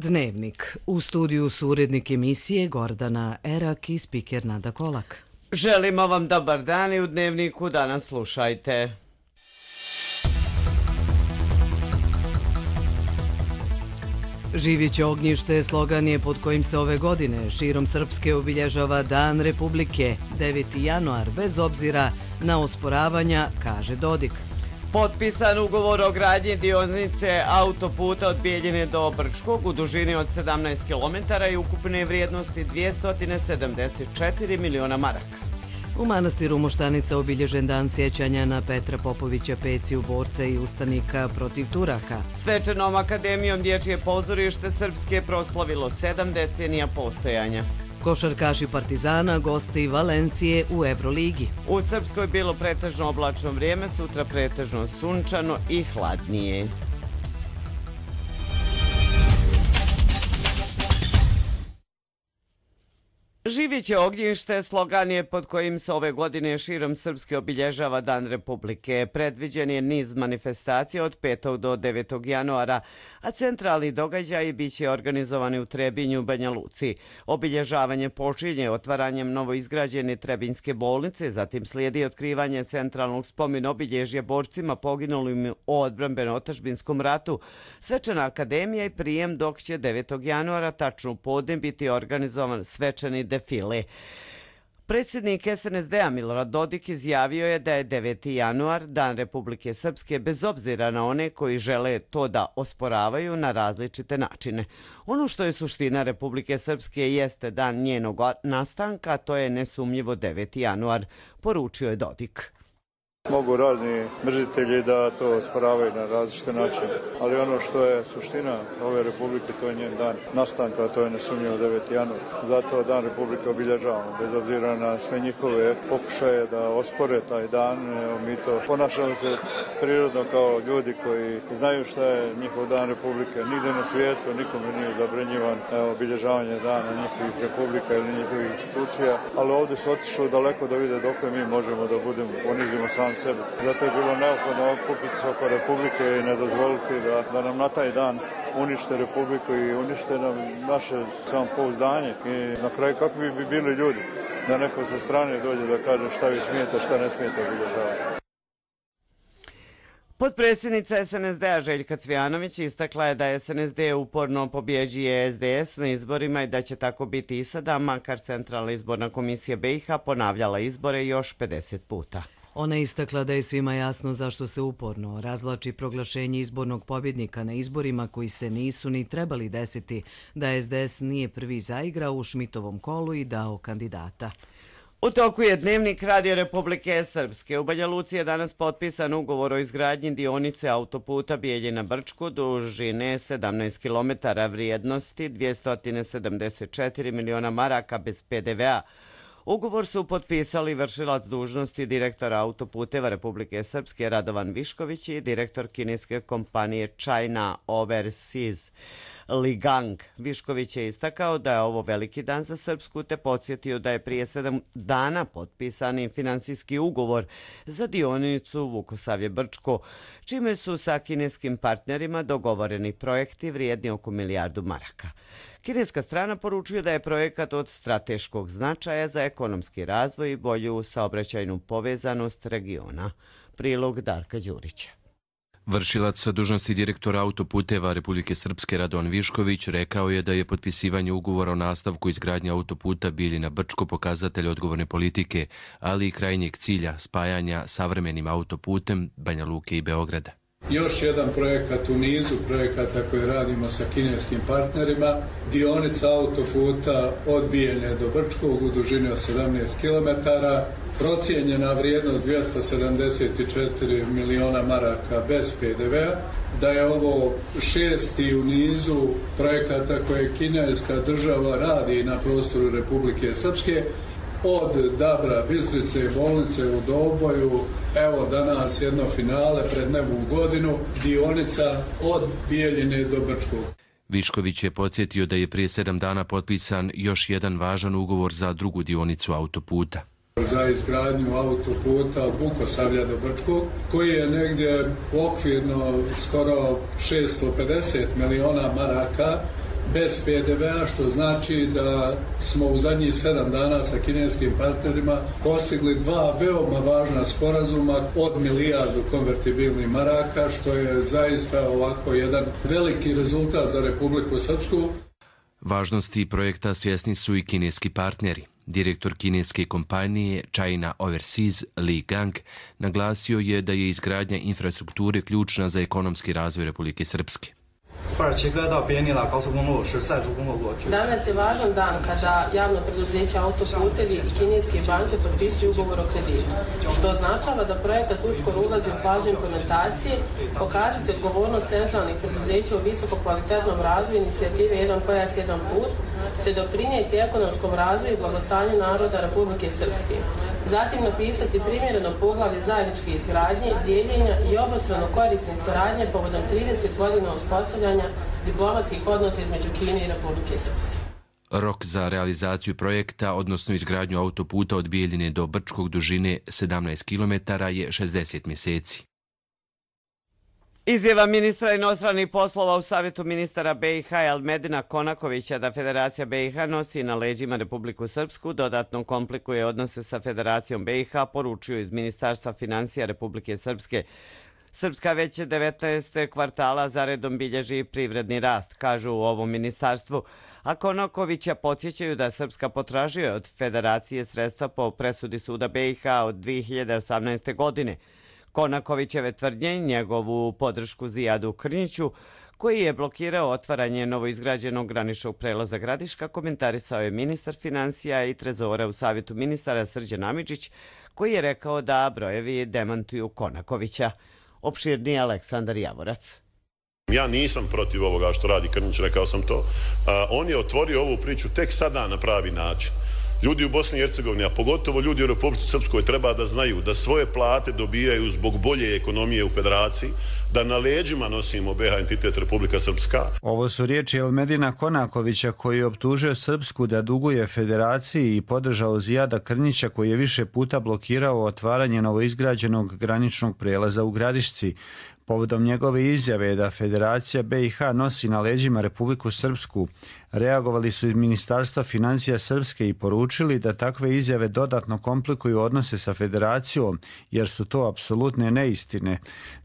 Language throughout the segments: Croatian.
Dnevnik. U studiju su urednik emisije Gordana Erak i spiker Nada Kolak. Želimo vam dobar dan i u Dnevniku danas slušajte. Živjeće ognjište slogan je pod kojim se ove godine širom Srpske obilježava Dan Republike, 9. januar, bez obzira na osporavanja, kaže Dodik. Potpisan ugovor o gradnji dionice autoputa od Bijeljine do Brčkog u dužini od 17 km i ukupne vrijednosti 274 miliona maraka. U manastiru Moštanica obilježen dan sjećanja na Petra Popovića, Peciju, borca i ustanika protiv Turaka. Svečanom akademijom Dječje pozorište Srpske proslavilo 7 decenija postojanja. Košarkaši Partizana gosti Valencije u Evroligi. U Srpskoj bilo pretežno oblačno vrijeme, sutra pretežno sunčano i hladnije. Živjeće ognjište slogan je pod kojim se ove godine širom Srpske obilježava Dan Republike. Predviđen je niz manifestacija od 5. do 9. januara, a centralni događaji biće organizovani u Trebinju, Banja Luci. Obilježavanje počinje otvaranjem novoizgrađene Trebinjske bolnice, zatim slijedi otkrivanje centralnog spomen obilježja borcima poginulim u odbrambeno-otadžbinskom ratu, svečana akademija i prijem, dok će 9. januara tačno u podne biti organizovan svečani defile. Predsjednik SNSD-a Milorad Dodik izjavio je da je 9. januar Dan Republike Srpske bez obzira na one koji žele to da osporavaju na različite načine. Ono što je suština Republike Srpske jeste dan njenog nastanka, to je nesumnjivo 9. januar, poručio je Dodik. Mogu razni mrzitelji da to osporavaju na različite načine, ali ono što je suština ove republike, to je njen dan nastanka, to je nesumnjivo 9. januar. Zato Dan Republike obilježavamo, bez obzira na sve njihove pokušaje da ospore taj dan. Mi to ponašamo se prirodno kao ljudi koji znaju šta je njihov Dan Republike. Nigde na svijetu nikome nije zabranjivan obilježavanje dana njihovih republika ili njihovih institucija, ali ovdje su otišli daleko da vide dok mi možemo da budemo, ponizimo sami sebe. Zato je bilo neophodno okupiti se oko Republike i ne dozvoliti da nam na taj dan unište Republiku i unište nam naše samopouzdanje. I na kraju kako bi bili ljudi da neko sa strane dođe da kaže šta vi smijete, šta ne smijete obilježavati. Potpredsjednica SNSD-a Željka Cvijanović istakla je da SNSD uporno pobjeđuje SDS na izborima i da će tako biti i sada, makar Centralna izborna komisija BiH ponavljala izbore još 50 puta. Ona je istakla da je svima jasno zašto se uporno razvlači proglašenje izbornog pobjednika na izborima koji se nisu ni trebali desiti, da SDS nije prvi zaigrao u Šmitovom kolu i dao kandidata. U toku je Dnevnik Radio Republike Srpske. U Banja Luci je danas potpisan ugovor o izgradnji dionice autoputa Bijeljina-Brčko dužine 17 km vrijednosti 274 miliona maraka bez PDV-a. Ugovor su potpisali vršilac dužnosti direktora autoputeva Republike Srpske Radovan Višković i direktor kineske kompanije China Overseas Li Gang. Višković je istakao da je ovo veliki dan za Srpsku te podsjetio da je prije 7 dana potpisani finansijski ugovor za dionicu Vukosavlje-Brčko, čime su sa kineskim partnerima dogovoreni projekti vrijedni oko milijardu maraka. Kineska strana poručuje da je projekat od strateškog značaja za ekonomski razvoj i bolju saobraćajnu povezanost regiona. Prilog Darka Đurića. Vršilac dužnosti direktora autoputeva Republike Srpske Radovan Višković rekao je da je potpisivanje ugovora o nastavku izgradnje autoputa Bijeljina-Brčko pokazatelj odgovorne politike, ali i krajnjeg cilja spajanja savremenim autoputem Banja Luke i Beograda. Još jedan projekat u nizu projekata koje radimo sa kineskim partnerima, dionica autoputa od Bijeljine do Brčkog u dužini od 17 km, procijenjena vrijednost 274 miliona maraka bez PDV-a, da je ovo 6. u nizu projekata koje kineska država radi na prostoru Republike Srpske, od Dabra, Bistrice, bolnice u Doboju, evo danas jedno finale pred novu godinu, dionica od Bijeljine do Brčkog. Višković je podsjetio da je prije 7 dana potpisan još jedan važan ugovor za drugu dionicu autoputa. Za izgradnju autoputa od Vukosavlja do Brčkog, koji je negdje okvirno skoro 650 miliona maraka bez PDV-a, što znači da smo u zadnjih 7 dana sa kineskim partnerima postigli 2 veoma važna sporazuma od 1 milijardu konvertibilnih maraka, što je zaista ovako jedan veliki rezultat za Republiku Srpsku. Važnosti projekta svjesni su i kineski partneri. Direktor kineske kompanije China Overseas Li Gang naglasio je da je izgradnja infrastrukture ključna za ekonomski razvoj Republike Srpske. Danas je važan dan kada javno preduzeće Autoputevi i kineske banke potpisuju ugovor o kreditu, što označava da projekat uskoro ulazi u fazu implementacije, pokazati odgovornost centralnih preduzeća u visoko kvalitetnom razvoju inicijative Jedan pojas, jedan put, te doprinijeti ekonomskom razvoju i blagostanju naroda Republike Srpske. Zatim napisati primjereno poglavlje zajedničke izgradnje, dijeljenja i obostrano korisne saradnje povodom 30 godina uspostavljanja diplomatskih odnosa između Kine i Republike Srpske. Rok za realizaciju projekta, odnosno izgradnju autoputa od Bijeljine do Brčkog dužine 17 km je 60 mjeseci. Izjava ministra inostranih poslova u Savjetu ministara BiH Elmedina Konakovića da Federacija BiH nosi na leđima Republiku Srpsku dodatno komplikuje odnose sa Federacijom BiH, poručuju iz Ministarstva financija Republike Srpske. Srpska već 19. kvartala zaredom bilježi privredni rast, kažu u ovom ministarstvu, a Konakovića podsjećaju da Srpska potražuje od Federacije sredstva po presudi Suda BiH od 2018. godine. Konakovićeve tvrdnje i njegovu podršku Zijadu Krnjiću, koji je blokirao otvaranje novoizgrađenog graničnog prelaza Gradiška, komentarisao je ministar financija i trezora u Savjetu ministara Srđan Amidžić, koji je rekao da brojevi demantuju Konakovića. Opširniji Aleksandar Javorac. Ja nisam protiv ovoga što radi Krnjić, rekao sam to. On je otvorio ovu priču tek sada na pravi način. Ljudi u Bosni i Hercegovini, a pogotovo ljudi u Republici Srpskoj, treba da znaju da svoje plate dobijaju zbog bolje ekonomije u Federaciji, da na leđima nosimo BiH entitet Republika Srpska. Ovo su riječi Elmedina Konakovića, koji je optužio Srpsku da duguje Federaciji i podržao Zijada Krnjića, koji je više puta blokirao otvaranje novoizgrađenog graničnog prelaza u Gradišci. Povodom njegove izjave da Federacija BiH nosi na leđima Republiku Srpsku, reagovali su iz Ministarstva financija Srpske i poručili da takve izjave dodatno komplikuju odnose sa Federacijom, jer su to apsolutne neistine.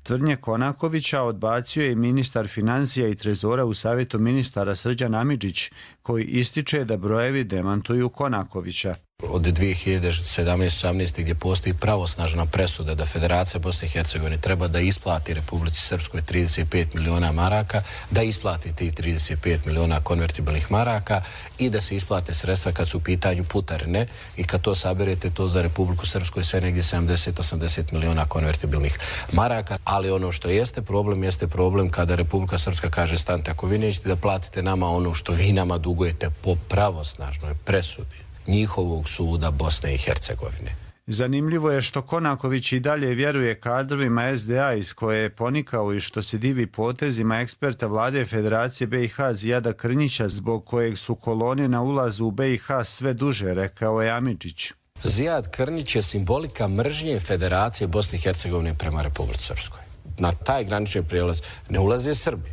Tvrdnje Konakovića odbacio je ministar financija i trezora u Savjetu ministara Srđan Amidžić, koji ističe da brojevi demantuju Konakovića. Od 2017-18 gdje postoji pravosnažna presuda da Federacija Bosne i Hercegovine treba da isplati Republici Srpskoj 35 miliona maraka, da isplati tih 35 miliona konvertibilnih maraka i da se isplate sredstva kad su u pitanju putarine i kad to saberete, to za Republiku Srpsku je sve negdje 70-80 miliona konvertibilnih maraka. Ali ono što jeste problem kada Republika Srpska kaže stante, ako vi nećete da platite nama ono što vi nama dugujete po pravosnažnoj presudi njihovog suda Bosne i Hercegovine. Zanimljivo je što Konaković i dalje vjeruje kadrovima SDA iz koje je ponikao i što se divi potezima eksperta vlade Federacije BiH Zijada Krnjića, zbog kojeg su kolone na ulazu u BiH sve duže, rekao je Amidžić. Zijad Krnjić je simbolika mržnje Federacije Bosne i Hercegovine prema Republici Srpskoj. Na taj granični prijelaz ne ulaze Srbi,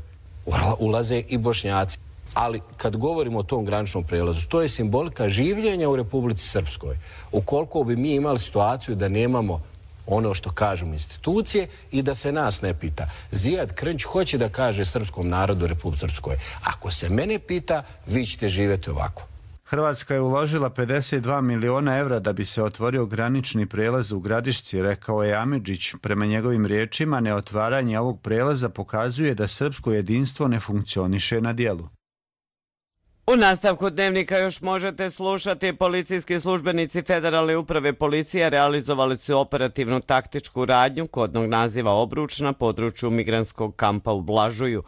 ulaze i Bošnjaci. Ali kad govorimo o tom graničnom prelazu, to je simbolika življenja u Republici Srpskoj. Ukoliko bi mi imali situaciju da nemamo ono što kažemo institucije i da se nas ne pita. Zijad Krnjić hoće da kaže srpskom narodu u Republici Srpskoj. Ako se mene pita, vi ćete živjeti ovako. Hrvatska je uložila 52 miliona evra da bi se otvorio granični prelaz u Gradišci, rekao je Amidžić. Prema njegovim riječima, neotvaranje ovog prelaza pokazuje da srpsko jedinstvo ne funkcioniše na dijelu. U nastavku dnevnika još možete slušati. Policijski službenici Federalne uprave policije realizovali su operativnu taktičku radnju kodnog naziva Obruč na području migrantskog kampa u Blažuju.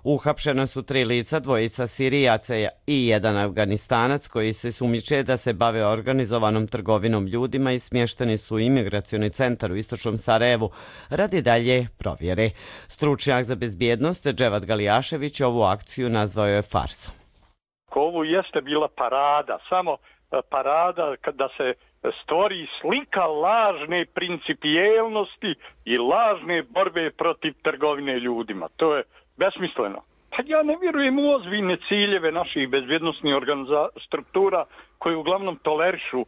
Uhapšena su 3 lica, 2 Sirijaca i 1 Afganistanac koji se sumnjiče da se bave organizovanom trgovinom ljudima i smješteni su u imigracioni centar u istočnom Sarajevu radi dalje provjere. Stručnjak za bezbjednost Dževad Galijašević ovu akciju nazvao je farsom. Ovo jeste bila parada, samo parada da se stvori slika lažne principijelnosti i lažne borbe protiv trgovine ljudima. To je besmisleno. Pa ja ne vjerujem u ozbiljne ciljeve naših bezbjednosnih struktura koje uglavnom tolerišu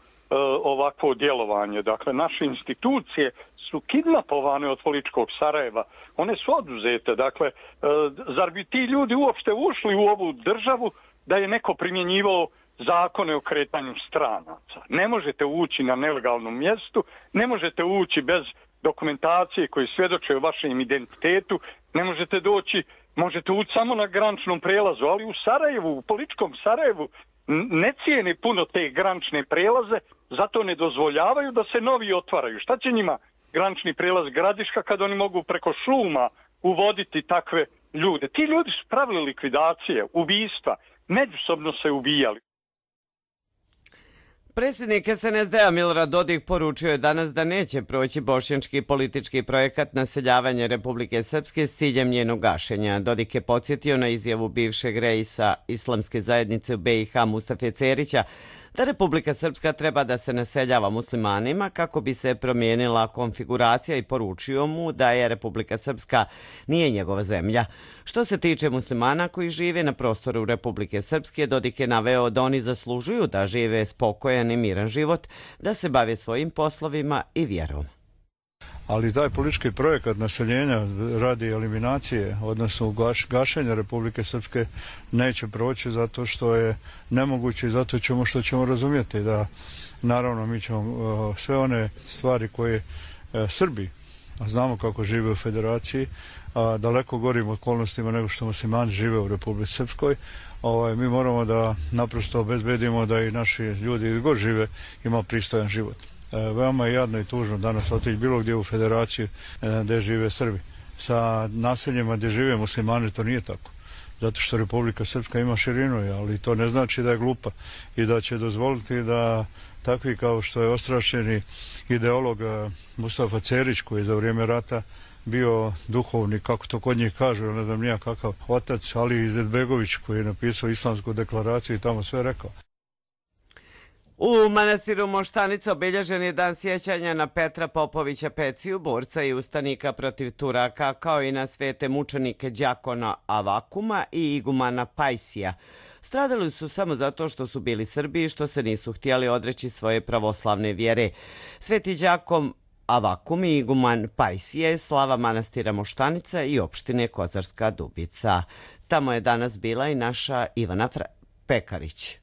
ovakvo djelovanje. Dakle, naše institucije su kidnapovane od političkog Sarajeva. One su oduzete. Dakle, zar bi ti ljudi uopšte ušli u ovu državu da je neko primjenjivao zakone o kretanju stranaca? Ne možete ući na nelegalnom mjestu, ne možete ući bez dokumentacije koji svjedoče o vašem identitetu, ne možete doći, možete ući samo na graničnom prelazu, ali u Sarajevu, u političkom Sarajevu, ne cijene puno te granične prelaze, zato ne dozvoljavaju da se novi otvaraju. Šta će njima granični prelaz Gradiška kad oni mogu preko šuma uvoditi takve ljude? Ti ljudi su pravili likvidacije, ubistva, međusobno se ubijali. Predsjednik SNSD-a Milorad Dodik poručio je danas da neće proći bošnjački politički projekat naseljavanja Republike Srpske s ciljem njenog gašenja. Dodik je podsjetio na izjavu bivšeg reisa Islamske zajednice u BiH Mustafe Cerića da Republika Srpska treba da se naseljava muslimanima kako bi se promijenila konfiguracija i poručio mu da je Republika Srpska nije njegova zemlja. Što se tiče muslimana koji žive na prostoru Republike Srpske, Dodik je naveo da oni zaslužuju da žive spokojan i miran život, da se bave svojim poslovima i vjerom. Ali taj politički projekat naseljenja radi eliminacije, odnosno gašenja Republike Srpske, neće proći zato što je nemoguće i zato što ćemo razumjeti da naravno mi ćemo sve one stvari koje Srbi, a znamo kako žive u federaciji, daleko gorim okolnostima nego što muslimani žive u Republici Srpskoj, mi moramo da naprosto obezbedimo da i naši ljudi gdje god žive ima pristojan život. Veoma je jadno i tužno danas otići bilo gdje u federaciju gdje žive Srbi. Sa naseljima gdje žive muslimani to nije tako. Zato što Republika Srpska ima širinu, ali to ne znači da je glupa i da će dozvoliti da takvi kao što je ostrašćeni ideolog Mustafa Cerić koji je za vrijeme rata bio duhovni, kako to kod njih kažu, ne znam nija kakav otac, Ali Izetbegović koji je napisao Islamsku deklaraciju i tamo sve rekao. U manastiru Moštanica obilježen je dan sjećanja na Petra Popovića Peciju, borca i ustanika protiv Turaka, kao i na svete mučenike Đakona Avakuma i igumana Pajsija. Stradali su samo zato što su bili Srbi i što se nisu htjeli odreći svoje pravoslavne vjere. Sveti Đakon Avakum i iguman Pajsije, slava manastira Moštanica i opštine Kozarska Dubica. Tamo je danas bila i naša Ivana Pekarić.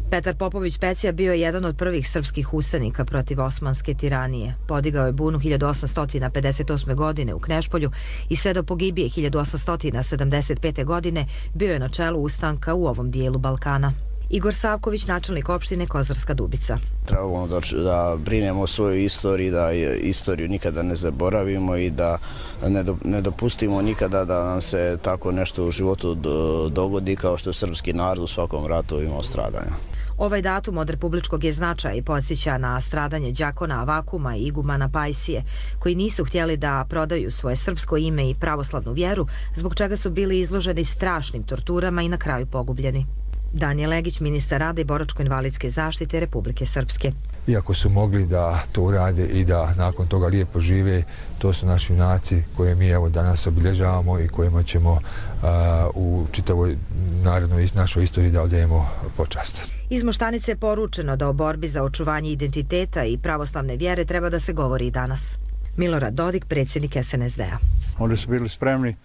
Petar Popović Pecija bio je jedan od prvih srpskih ustanika protiv osmanske tiranije. Podigao je bunu 1858. godine u Knešpolju i sve do pogibije 1875. godine bio je na čelu ustanka u ovom dijelu Balkana. Igor Savković, načelnik opštine Kozarska Dubica. Trebamo da brinemo o svojoj istoriji, da istoriju nikada ne zaboravimo i da ne dopustimo nikada da nam se tako nešto u životu dogodi kao što je srpski narod u svakom ratu imao stradanja. Ovaj datum od republičkog je značaja i podsjeća na stradanje Đakona Avakuma i igumana Pajsije, koji nisu htjeli da prodaju svoje srpsko ime i pravoslavnu vjeru, zbog čega su bili izloženi strašnim torturama i na kraju pogubljeni. Danijel Legić, ministar rada i boračko-invalidske zaštite Republike Srpske. Iako su mogli da to urade i da nakon toga lijepo žive, to su naši junaci koje mi evo danas obilježavamo i kojima ćemo u čitavoj narodnoj našoj istoriji da odajemo počast. Iz Moštanice je poručeno da o borbi za očuvanje identiteta i pravoslavne vjere treba da se govori i danas. Milorad Dodik, predsjednik SNSD-a. Oni su bili spremni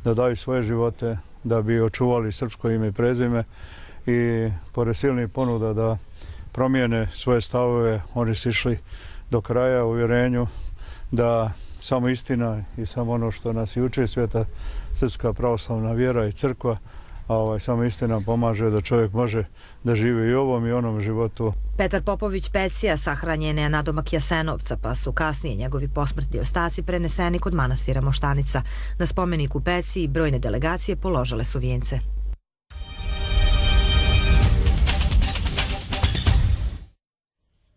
da daju svoje živote da bi očuvali srpsko ime i prezime i pored silnih ponuda da promijene svoje stavove, oni su išli do kraja u uvjerenju da samo istina i samo ono što nas i uči svijeta srpska pravoslavna vjera i crkva, samo istina pomaže da čovjek može da živi i ovom i onom životu. Petar Popović Pecija sahranjen je na domak Jasenovca, pa su kasnije njegovi posmrtni ostaci preneseni kod manastira Moštanica. Na spomeniku Peciji brojne delegacije položile su vijence.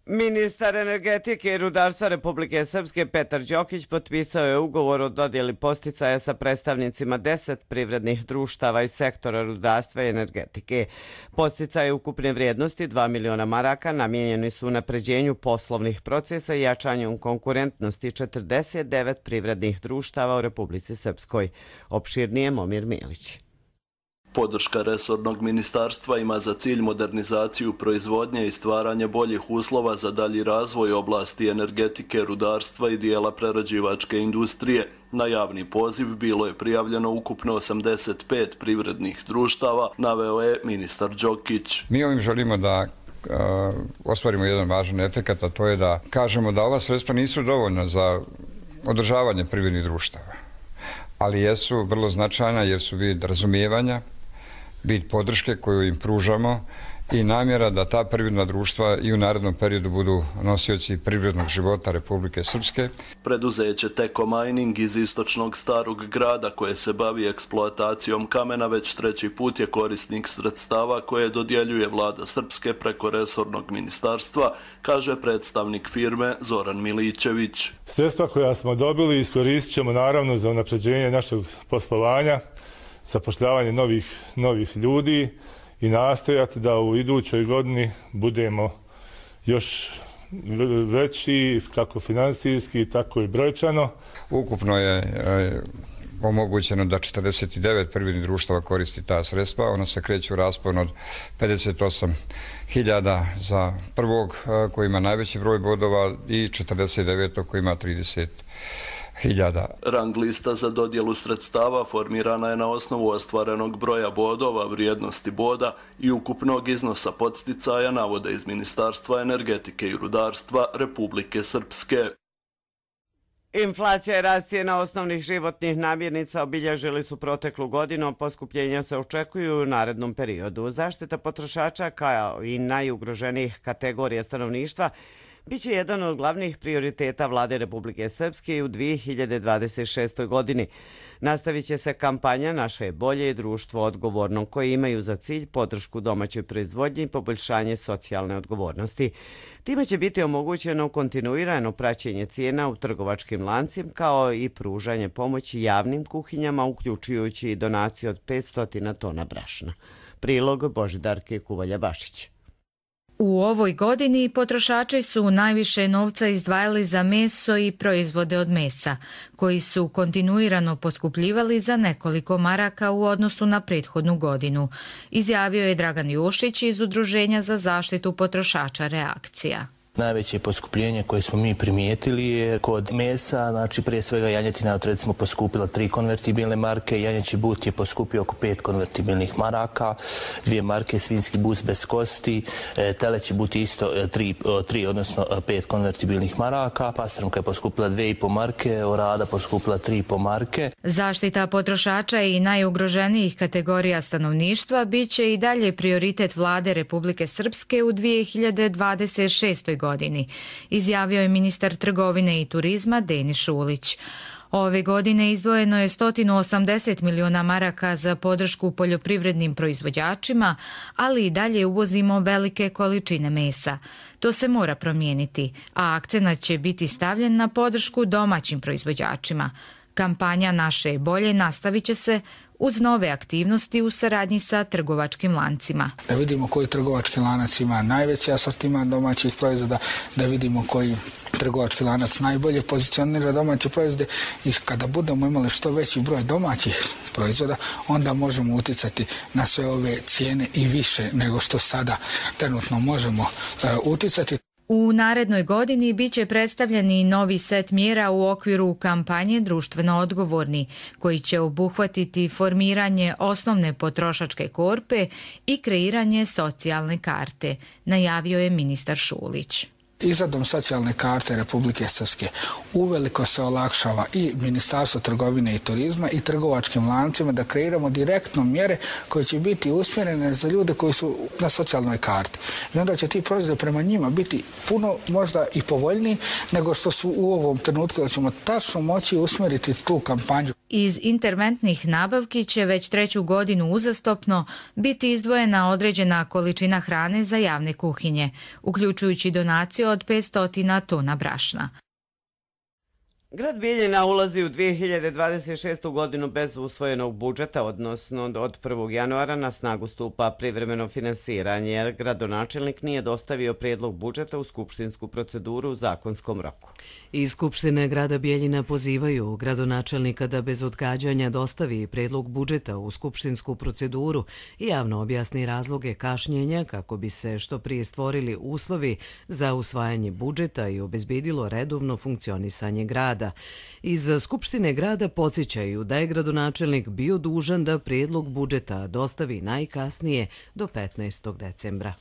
Ministar energetike i rudarstva Republike Srpske Petar Đokić potpisao je ugovor o dodjeli podsticaja sa predstavnicima 10 privrednih društava iz sektora rudarstva i energetike. Podsticaje ukupne vrijednosti 2 miliona maraka namijenjeni su unapređenju poslovnih procesa i jačanju konkurentnosti 49 privrednih društava u Republici Srpskoj. Opširnije Momir Milić. Podrška resornog ministarstva ima za cilj modernizaciju proizvodnje i stvaranje boljih uslova za dalji razvoj oblasti energetike, rudarstva i dijela prerađivačke industrije. Na javni poziv bilo je prijavljeno ukupno 85 privrednih društava, naveo je ministar Đokić. Mi ovim želimo da ostvarimo jedan važan efekat, a to je da kažemo da ova sredstva nisu dovoljna za održavanje privrednih društava, ali jesu vrlo značajna jer su vid razumijevanja, vid podrške koju im pružamo i namjera da ta privredna društva i u narednom periodu budu nosioci privrednog života Republike Srpske. Preduzeće Teko Mining iz istočnog Starog grada koje se bavi eksploatacijom kamena već treći put je korisnik sredstava koje dodjeljuje vlada Srpske preko resornog ministarstva, kaže predstavnik firme Zoran Milićević. Sredstva koja smo dobili iskoristit ćemo naravno za unapređenje našeg poslovanja, zapošljavanje novih ljudi i nastojati da u idućoj godini budemo još veći kako finansijski, tako i brojčano. Ukupno je omogućeno da 49 privrednih društava koristi ta sredstva. Ona se kreće u raspon od 58.000 za prvog koji ima najveći broj bodova i 49. koji ima 30.000. Rang lista za dodjelu sredstava formirana je na osnovu ostvarenog broja bodova, vrijednosti boda i ukupnog iznosa podsticaja, navode iz Ministarstva energetike i rudarstva Republike Srpske. Inflacija i rast cijena osnovnih životnih namirnica obilježili su proteklu godinu, poskupljenja se očekuju u narednom periodu. Zaštita potrošača kao i najugroženijih kategorija stanovništva biće jedan od glavnih prioriteta vlade Republike Srpske u 2026. godini. Nastavit će se kampanja Naše je bolje i društvo odgovorno, koje imaju za cilj podršku domaćoj proizvodnji i poboljšanje socijalne odgovornosti. Time će biti omogućeno kontinuirano praćenje cijena u trgovačkim lancima kao i pružanje pomoći javnim kuhinjama, uključujući i donaciju od 500 tona brašna. Prilog Božidarke Kuvalja-Bašić. U ovoj godini potrošači su najviše novca izdvajali za meso i proizvode od mesa, koji su kontinuirano poskupljivali za nekoliko maraka u odnosu na prethodnu godinu, izjavio je Dragan Jušić iz Udruženja za zaštitu potrošača Reakcija. Najveće poskupljenje koje smo mi primijetili je kod mesa, znači prije svega janjetina je recimo poskupila 3 konvertibilne marke, janjeći but je poskupio oko 5 konvertibilnih maraka, 2 marke svinjski bus bez kosti, teleći but isto 3 odnosno 5 konvertibilnih maraka, pastrnka je poskupila 2,5 marke, orada poskupila 3,5 marke. Zaštita potrošača i najugroženijih kategorija stanovništva biće i dalje prioritet vlade Republike Srpske u 2026. godini, izjavio je ministar trgovine i turizma Denis Šulić. Ove godine izdvojeno je 180 miliona maraka za podršku poljoprivrednim proizvođačima, ali i dalje uvozimo velike količine mesa. To se mora promijeniti, a akcenat će biti stavljen na podršku domaćim proizvođačima. Kampanja Naše je bolje nastavit će se uz nove aktivnosti u saradnji sa trgovačkim lancima. Da vidimo koji trgovački lanac ima najveći asortiman domaćih proizvoda, da vidimo koji trgovački lanac najbolje pozicionira domaće proizvode i kada budemo imali što veći broj domaćih proizvoda, onda možemo uticati na sve ove cijene i više nego što sada trenutno možemo uticati. U narednoj godini biće predstavljeni novi set mjera u okviru kampanje Društveno odgovorni, koji će obuhvatiti formiranje osnovne potrošačke korpe i kreiranje socijalne karte, najavio je ministar Šulić. Izradom socijalne karte Republike Srpske uveliko se olakšava i Ministarstvo trgovine i turizma i trgovačkim lancima da kreiramo direktno mjere koje će biti usmjerene za ljude koji su na socijalnoj karti. I onda će ti proizvodi prema njima biti puno možda i povoljniji nego što su u ovom trenutku, da ćemo tačno moći usmjeriti tu kampanju. Iz interventnih nabavki će već 3. godinu uzastopno biti izdvojena određena količina hrane za javne kuhinje, uključujući donaciju od 500 tona brašna. Grad Bijeljina ulazi u 2026. godinu bez usvojenog budžeta, odnosno od 1. januara na snagu stupa privremeno finansiranje, jer gradonačelnik nije dostavio prijedlog budžeta u skupštinsku proceduru u zakonskom roku. Iz Skupštine grada Bijeljina pozivaju gradonačelnika da bez odgađanja dostavi prijedlog budžeta u skupštinsku proceduru i javno objasni razloge kašnjenja kako bi se što prije stvorili uslovi za usvajanje budžeta i obezbedilo redovno funkcionisanje grada. Iz Skupštine grada podsjećaju da je gradonačelnik bio dužan da prijedlog budžeta dostavi najkasnije do 15. decembra.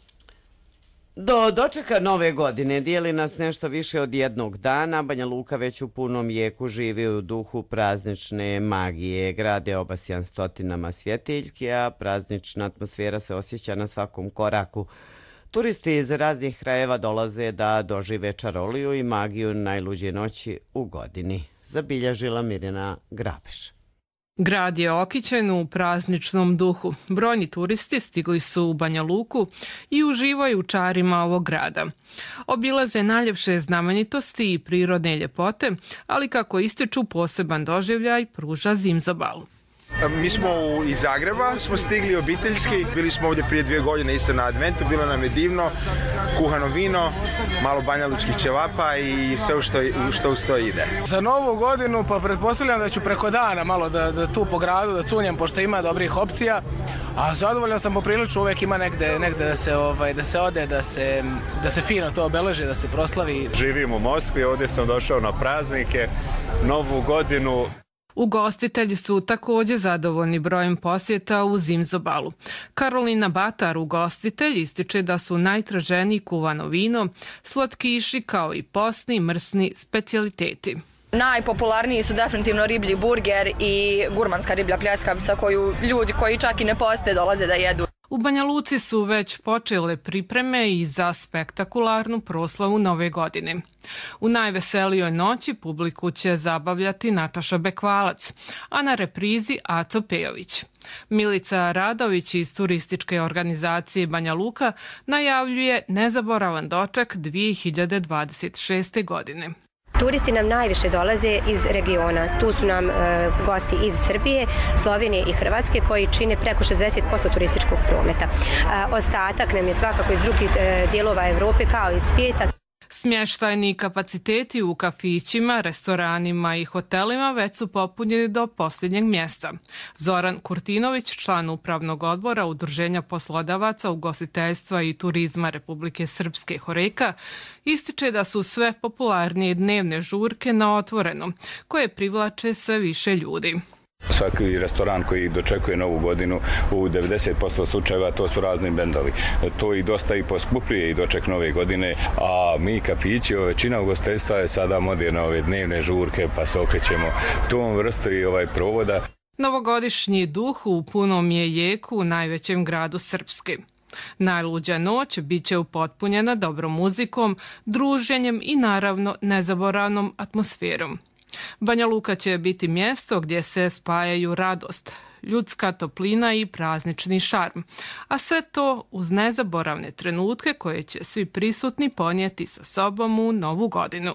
Do dočeka nove godine dijeli nas nešto više od jednog dana. Banja Luka već u punom jeku živi u duhu praznične magije. Grad je obasjan stotinama svjetiljki, a praznična atmosfera se osjeća na svakom koraku. Turisti iz raznih krajeva dolaze da dožive čaroliju i magiju najluđe noći u godini. Zabilježila Mirjana Grabeš. Grad je okićen u prazničnom duhu. Brojni turisti stigli su u Banja Luku i uživaju u čarima ovog grada. Obilaze najljepše znamenitosti i prirodne ljepote, ali kako ističu poseban doživljaj pruža Zimzobal. Mi smo iz Zagreba, smo stigli obiteljski, bili smo ovdje prije 2 godine isto na adventu, bilo nam je divno, kuhano vino, malo banjalučkih ćevapa i sve što uz to ide. Za novu godinu pa pretpostavljam da ću preko dana malo da tu po gradu da cunjem pošto ima dobrih opcija, a zadovoljan sam poprilično, uvijek ima negde da se ode, da se fino to obeleži, da se proslavi. Živim u Moskvi, ovdje sam došao na praznike, novu godinu. Ugostitelji su također zadovoljni brojem posjeta u Zimzobalu. Karolina Batar, ugostitelj, ističe da su najtraženiji kuvano vino, slatkiši kao i postni mrsni specijaliteti. Najpopularniji su definitivno riblji burger i gurmanska riblja pljeskavica koju ljudi koji čak i ne poste dolaze da jedu. U Banja Luci su već počele pripreme i za spektakularnu proslavu Nove godine. U najveselijoj noći publiku će zabavljati Nataša Bekvalac, a na reprizi Aco Pejović. Milica Radović iz turističke organizacije Banja Luka najavljuje nezaboravan doček 2026. godine. Turisti nam najviše dolaze iz regiona. Tu su nam gosti iz Srbije, Slovenije i Hrvatske koji čine preko 60% turističkog prometa. Ostatak nam je svakako iz drugih dijelova Evrope kao i svijeta. Smještajni kapaciteti u kafićima, restoranima i hotelima već su popunjeni do posljednjeg mjesta. Zoran Kurtinović, član upravnog odbora Udruženja poslodavaca, ugostiteljstva i turizma Republike Srpske Horeka, ističe da su sve popularnije dnevne žurke na otvorenom, koje privlače sve više ljudi. Svaki restoran koji dočekuje Novu godinu u 90% slučajeva to su razni bendovi. To i dosta i poskupljuje i doček Nove godine, a mi kafići, većina ugostiteljstva je sada moderna ove dnevne žurke pa se okrećemo tom vrstu i provoda. Novogodišnji duh u punom je jeku u najvećem gradu Srpske. Najluđa noć bit će upotpunjena dobrom muzikom, druženjem i naravno nezaboravnom atmosferom. Banja Luka će biti mjesto gdje se spajaju radost, ljudska toplina i praznični šarm, a sve to uz nezaboravne trenutke koje će svi prisutni ponijeti sa sobom u Novu godinu.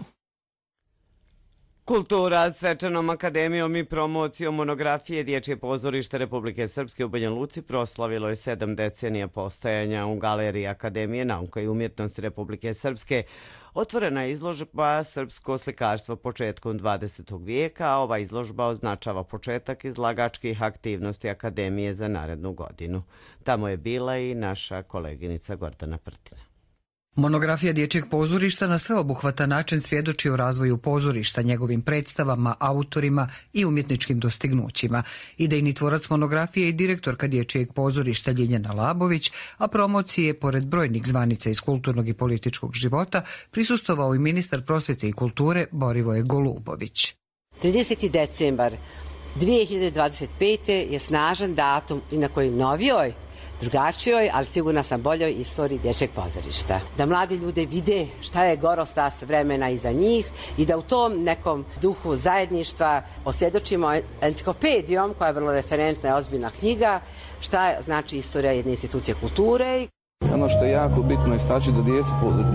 Kultura Svečanom akademijom i promocijom monografije Dječje pozorište Republike Srpske u Banja Luci proslavilo je 7 decenija postojanja. U Galeriji Akademije nauka i umjetnosti Republike Srpske otvorena je izložba Srpsko slikarstvo početkom 20. vijeka, a ova izložba označava početak izlagačkih aktivnosti Akademije za narednu godinu. Tamo je bila i naša koleginica Gordana Prtina. Monografija Dječjeg pozorišta na sveobuhvatan način svjedoči o razvoju pozorišta, njegovim predstavama, autorima i umjetničkim dostignućima. Idejni tvorac monografije i direktorka Dječjeg pozorišta Ljiljana Labović, a promocije, pored brojnih zvanica iz kulturnog i političkog života, prisustvovao i ministar prosvjete i kulture Borivoje Golubović. 30. decembar 2025. je snažan datum i na kojoj novijoj, drugačijoj, ali sigurno sam boljoj istoriji Dječjeg pozorišta. Da mladi ljude vide šta je gorostas vremena iza njih i da u tom nekom duhu zajedništva osvjedočimo enciklopedijom, koja je vrlo referentna i ozbiljna knjiga, šta znači istorija jedne institucije kulture. Ono što je jako bitno istaći da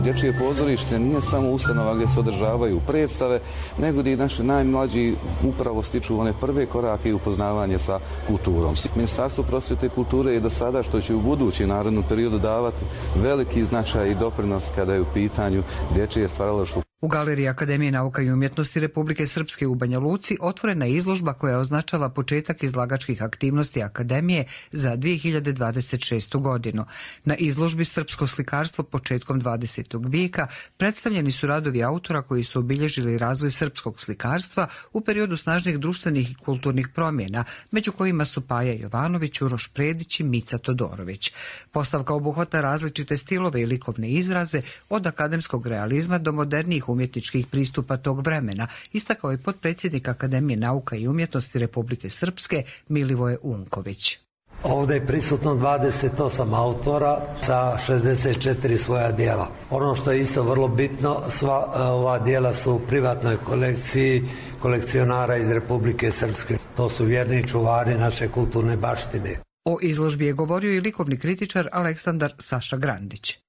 dječje pozorište nije samo ustanova gdje se održavaju predstave, nego gdje naši najmlađi upravo stiču one prve korake i upoznavanje sa kulturom. Ministarstvo prosvjete i kulture je do sada, što će u budući narednom periodu davati veliki značaj i doprinos kada je u pitanju dječje stvaralaštvo. U Galeriji Akademije nauka i umjetnosti Republike Srpske u Banja Luci otvorena je izložba koja označava početak izlagačkih aktivnosti Akademije za 2026. godinu. Na izložbi Srpsko slikarstvo početkom 20. vijeka predstavljeni su radovi autora koji su obilježili razvoj srpskog slikarstva u periodu snažnih društvenih i kulturnih promjena, među kojima su Paja Jovanović, Uroš Predić i Mica Todorović. Postavka obuhvata različite stilove i likovne izraze od akademskog realizma do modernijih umjetničkih pristupa tog vremena, istakao je potpredsjednik Akademije nauka i umjetnosti Republike Srpske Milivoje Unković. Ovdje je prisutno 28 autora sa 64 svoja dijela. Ono što je isto vrlo bitno, sva ova dijela su u privatnoj kolekciji kolekcionara iz Republike Srpske. To su vjerni čuvari naše kulturne baštine. O izložbi je govorio i likovni kritičar Aleksandar Saša Grandić.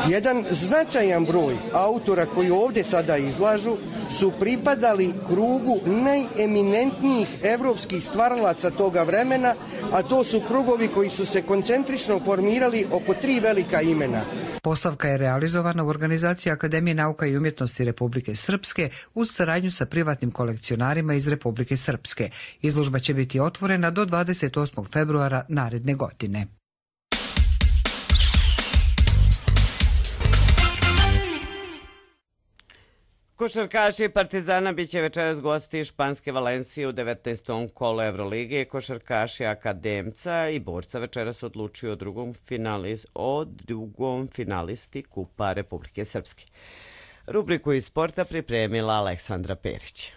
Jedan značajan broj autora koji ovdje sada izlažu su pripadali krugu najeminentnijih evropskih stvaralaca toga vremena, a to su krugovi koji su se koncentrično formirali oko 3 velika imena. Postavka je realizovana u organizaciji Akademije nauka i umjetnosti Republike Srpske uz saradnju sa privatnim kolekcionarima iz Republike Srpske. Izložba će biti otvorena do 28. februara naredne godine. Košarkaši Partizana biće večeras gosti Španske Valencije u 19. kolu Evrolige. Košarkaši Akademca i Borca večeras odlučuju o drugom finalisti Kupa Republike Srpske. Rubriku iz sporta pripremila Aleksandra Perić.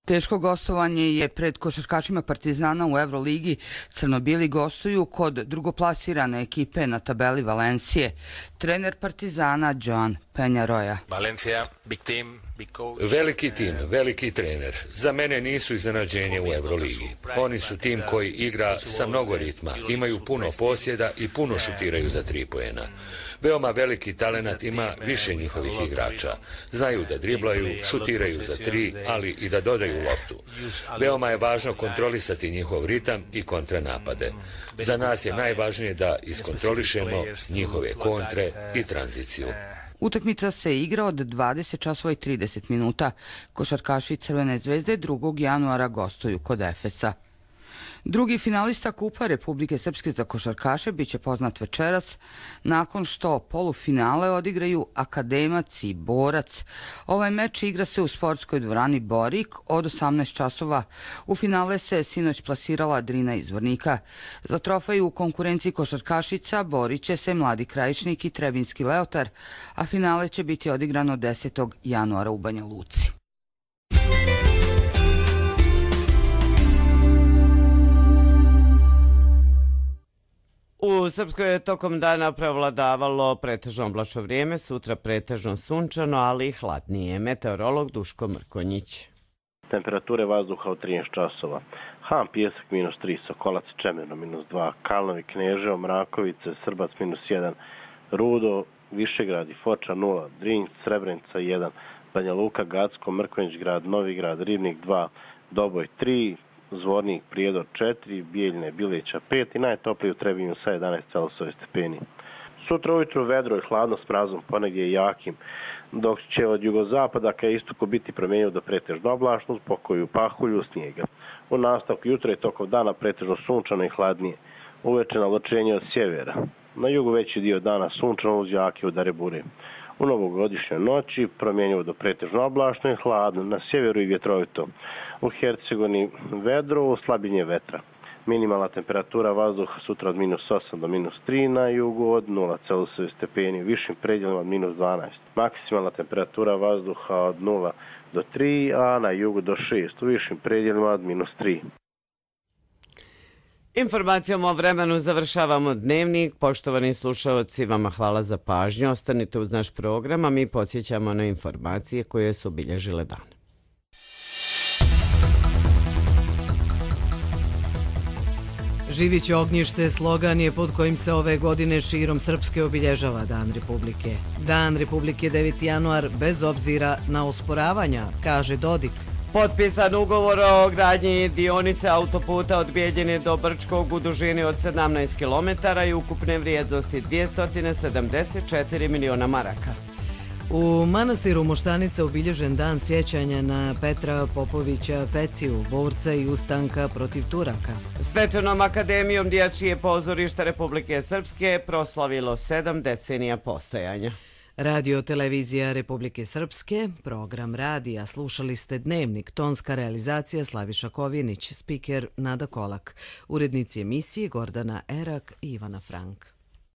Teško gostovanje je pred košarkašima Partizana u Evroligi. Crnobili gostuju kod drugoplasirane ekipe na tabeli Valencije. Trener Partizana Joan Penjaroja. Valencija, big team, big coach. Veliki tim, veliki trener. Za mene nisu iznenađenje u Evroligi. Oni su tim koji igra sa mnogo ritma, imaju puno posjeda i puno šutiraju za 3 poena. Veoma veliki talenat ima više njihovih igrača. Znaju da driblaju, šutiraju za 3, ali i da dodaju loptu. Veoma je važno kontrolisati njihov ritam i kontranapade. Za nas je najvažnije da iskontrolišemo njihove kontre i tranziciju. Utakmica se igra od 20:30 minuta. Košarkaši Crvene zvezde 2. januara gostuju kod Efesa. Drugi finalista Kupa Republike Srpske za košarkaše biće poznat večeras nakon što polufinale odigraju Akademac i Borac. Ovaj meč igra se u sportskoj dvorani Borik od 18 časova. U finale se sinoć plasirala Drina iz Vornika. Za trofej u konkurenciji košarkašica borit će se Mladi Krajišnik i Trebinski Leotar, a finale će biti odigrano 10. januara u Banja Luci. U Srpskoj je tokom dana prevladavalo pretežno oblačno vrijeme, sutra pretežno sunčano, ali i hladnije. Meteorolog Duško Mrkonjić. Temperature vazduha od 13 časova. Han, Pijesak -3, Sokolac, Čemerno -2, Kalnovi, Kneževo, Mrakovice, Srbac -1, Rudo, Višegrad i Foča 0, Drinj, Srebrenica 1, Banja Luka, Gacko, Mrkonjić grad, Novigrad, Ribnik 2, Doboj 3, Zvornik, Prijedor 4, Bijeljne, Bileća 5 i najtopliji u Trebinju sa 11,8 stepeni. Sutra ujutru vedro i hladno s mrazom, ponegdje i jakim, dok će od jugozapada ka istoku biti promijenio do pretežno oblačno, uz pokoju pahulju snijega. U nastavku jutra i tokom dana pretežno sunčano i hladnije. Uveče navlačenje od sjevera. Na jugu veći dio dana sunčano uz jake udare bure. U novogodišnjoj noći promjenjivo do pretežno oblačno i hladno, na sjeveru i vjetrovito. U Hercegovini vedro, slabljenje vetra. Minimalna temperatura vazduha sutra od -8 do -3, na jugu od 0,7 stepeni, u višim predjelima od -12. Maksimalna temperatura vazduha od 0 do 3, a na jugu do 6, u višim predjelima od -3. Informacijom o vremenu završavamo dnevnik. Poštovani slušalci, vama hvala za pažnju. Ostanite uz naš program, a mi podsjećamo na informacije koje su obilježile dan. Živić ognjište slogan je pod kojim se ove godine širom Srpske obilježava Dan Republike. Dan Republike 9. januar bez obzira na osporavanja, kaže Dodik. Potpisan ugovor o gradnji dionice autoputa od Bijeljine do Brčkog u dužini od 17 km i ukupne vrijednosti 274 miliona maraka. U manastiru Moštanica obilježen dan sjećanja na Petra Popovića Peciju, borca i ustanka protiv Turaka. Svečanom akademijom Dječje pozorišta Republike Srpske proslavilo 7 decenija postojanja. Radio televizija Republike Srpske, program radija, slušali ste Dnevnik, tonska realizacija Slaviša Kovjenić, spiker Nada Kolak, urednici emisije Gordana Erak i Ivana Frank.